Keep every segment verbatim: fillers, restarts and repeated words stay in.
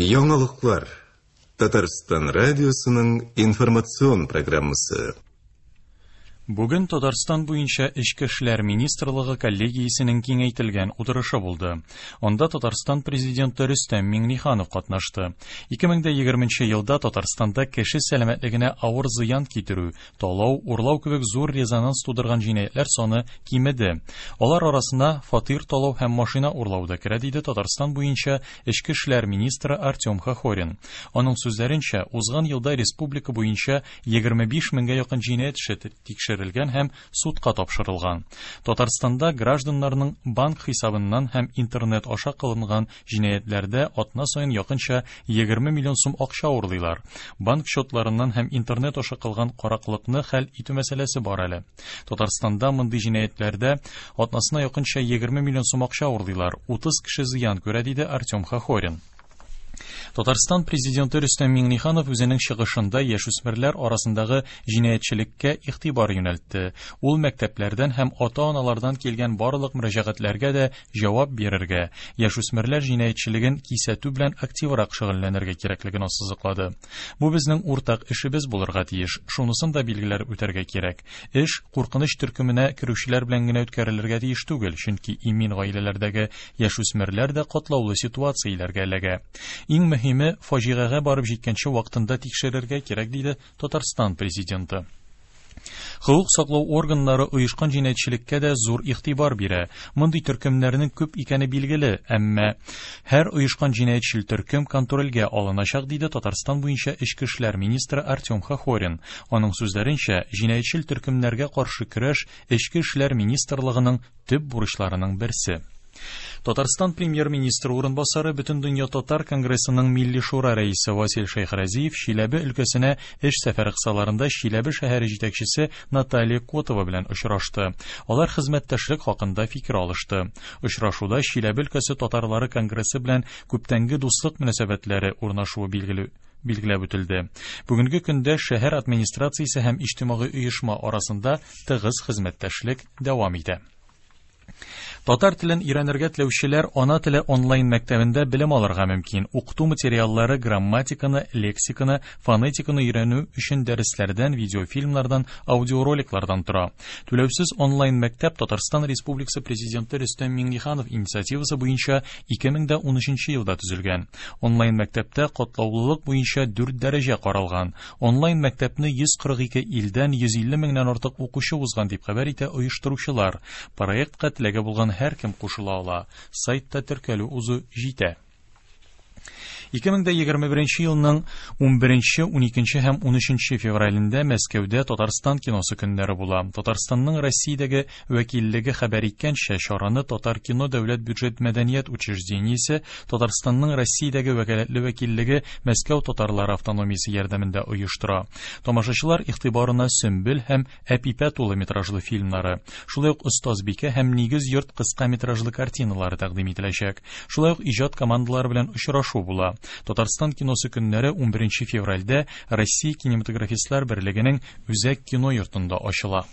Яңалыклар. Татарстан радиосының информацион программасы. Бүген Татарстан буенча Эчке эшләр министрлыгы коллегиясенең киңәйтелгән утырышы булды. Анда Татарстан президенты Рөстәм Миңнеханов катнашты. ике мең егерменче елда Татарстанда кеше сәламәтлегенә авыр зыян китерү, талау, урлау кебек зур резонанс тудырган җинаятьләр саны кимеде. Алар арасына фатир талау һәм машина урлау да керә, диде Татарстан буенча Эчке эшләр министры Артем Хохорин. Аның сүзләренчә, узган елда республика буенча егерме биш меңгә якын җинаять эше тикшерелгән һәм судка тапшырылган. Татарстанда гражданнарның банк хисабыннан һәм интернет аша кылынган җинаятьләрдә атна саен якынча егерме миллион сум акча урлыйлар. Банк счетларыннан һәм интернет аша кылган караклыкны хәл итү мәсьәләсе бар әле. Татарстанда мондый җинаятьләрдә атнасына якынча егерме миллион сум акча урлыйлар. Утыз кеше зыян күрә, диде Артем Хохорин. Татарстан президенты Рөстәм Миңнеханов үзенең чыгышында яшүсмерләр арасындагы җинаятьчелеккә игътибар юнәлтте. Ул мәктәпләрдән һәм ата-аналардан килгән барлык мөрәҗәгатьләргә дә җавап бирергә, яшүсмерләр җинаятьчелеген кисәтү белән активрак шөгыльләнергә кирәклеген ассызыклады. Бу безнең уртак эшебез булырга тиеш. Шунысын да билгеләп үтәргә кирәк. Эш куркыныч төркеменә керүчеләр белән генә үткәрелергә тиеш түгел, чөнки имин гаиләләрдәге яшүсмерләр дә катлаулы ситуацияләргә эләгә. Иң мөһиме, фаҗигагә барып җиткәнче вакытында тикшерергә кирәк, диде Татарстан президенты. Хокук саклау органнары оешкан җинаятьчелеккә дә зур игътибар бирә. Мондый төркемнәрнең күп икәне билгеле, әмма һәр оешкан җинаятьчел төркем контрольгә алыначак, диде Татарстан буенча Эчке эшләр министры Артем Хохорин. Аның сүзләренчә, җинаятьчел төркемнәргә каршы көрәш Эчке эшләр министрлыгының төп бурычларының берсе. Татарстан премьер-министры урынбасары Бөтендөнья Татар конгрессының Милли Шура рәисе Васил Шәйхразиев Чиләбе өлкәсенә эш сәфәре кысаларында Чиләбе шәһәре җитәкчесе Наталья Котова белән очрашты. Алар хезмәттәшлек хакында фикер алышты. Очрашуда Чиләбе өлкәсе татарлары конгрессы белән күптәнге дуслык мөнәсәбәтләре урнашуы билгеле билгеләп үтелде. Бүгенге көндә шәһәр администрациясе һәм иҗтимагый оешма арасында тыгыз хезмәттәшлек дәвам итә. Татар телен өйрәнергә теләүчеләр ана теле онлайн мәктәбендә белем алырга мөмкин. Укыту материаллары грамматиканы, лексиканы, фонетиканы өйрәнү өчен дәресләрдән, видеофильмнардан, аудиороликлардан тора. Түләүсез онлайн мәктәп Татарстан Республикасы Президенты Рөстәм Миңнеханов инициативасы буенча ике мең дә унөченче елда төзелгән. Онлайн мәктәптә катлаулылык буенча дүрт дәрәҗә каралган. Онлайн мәктәпне йөз кырык ике илдән йөз илле меңнән артык укучы узган дип хәбәр итә оештыручылар. Проектка теләге булган һәркем кушыла ала. Сайтта теркәлү узу җитә. Ике мең дә егерме беренче елның унберенче, уникенче һәм унөченче февралендә Мәскәүдә Татарстан киносы көннәре була. Татарстанның Россиядәге вәкиллеге хәбәр иткәнчә, чараны Татар кино дәүләт бюджет мәдәният учреждениесе Татарстанның Россиядәге вәкаләтле вәкиллеге Мәскәү татарлары автономиясе ярдәмендә оештыра. Тамашачылар игътибарына Сөмбел һәм Әпипә тулы метражлы фильмнары, шулай ук Остазбикә һәм Нигез йорт кыска метражлы картиналары тәкъдим ителәчәк. Шулай ук иҗат командалары белән очрашу була. Татарстан киносы көннәре унберенче февральдә Россия кинематографистлар берлегенең Үзәк кино йортында ачыла.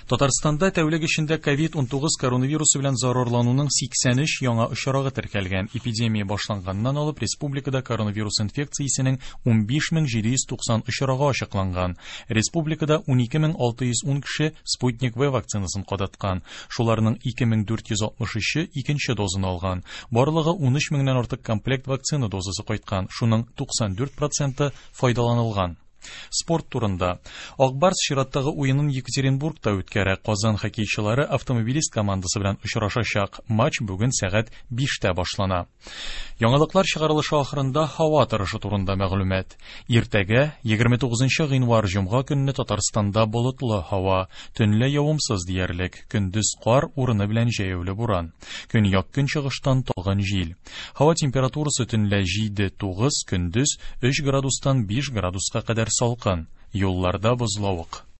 Татарстанда тәүлек эчендә ковид унтугыз коронавирусы белән зарарлануның сиксән өч яңа очрагы теркәлгән. Эпидемия башланганнан алып республикада коронавирус инфекциясенең унбиш мең җиде йөз туксан очрагы ачыкланган. Республикада унике мең алты йөз ун кеше Спутник В вакцинасын кадаткан. Шуларның ике мең дүрт йөз алтмыш өче икенче дозын алган. Барлыгы унөч меңнән артык комплект вакцина дозасы кайткан. Шуның туксан дүрт проценты файдаланылган. Спорт турында. Акбарс чираттагы уенын Екатеринбургта үткәрә. Казан хоккейчылары Автомобилист командасы белән очрашачак. Матч бүген сәгать биштә башлана. Яңалыклар чыгарылышы ахырында һава торышы турында мәгълүмат. Иртәгә егерме тугызынчы гыйнвар җомга көнне Татарстанда болытлы һава, төнлә явымсыз диярлек, көндез кар урыны белән җәяүле буран. Көньяк көнчыгыштан талгын җил. Һава температурасы төнлә җиде тугыз, көндез өч градустан биш градуска кадәр салкын. Юлларда бозлавык.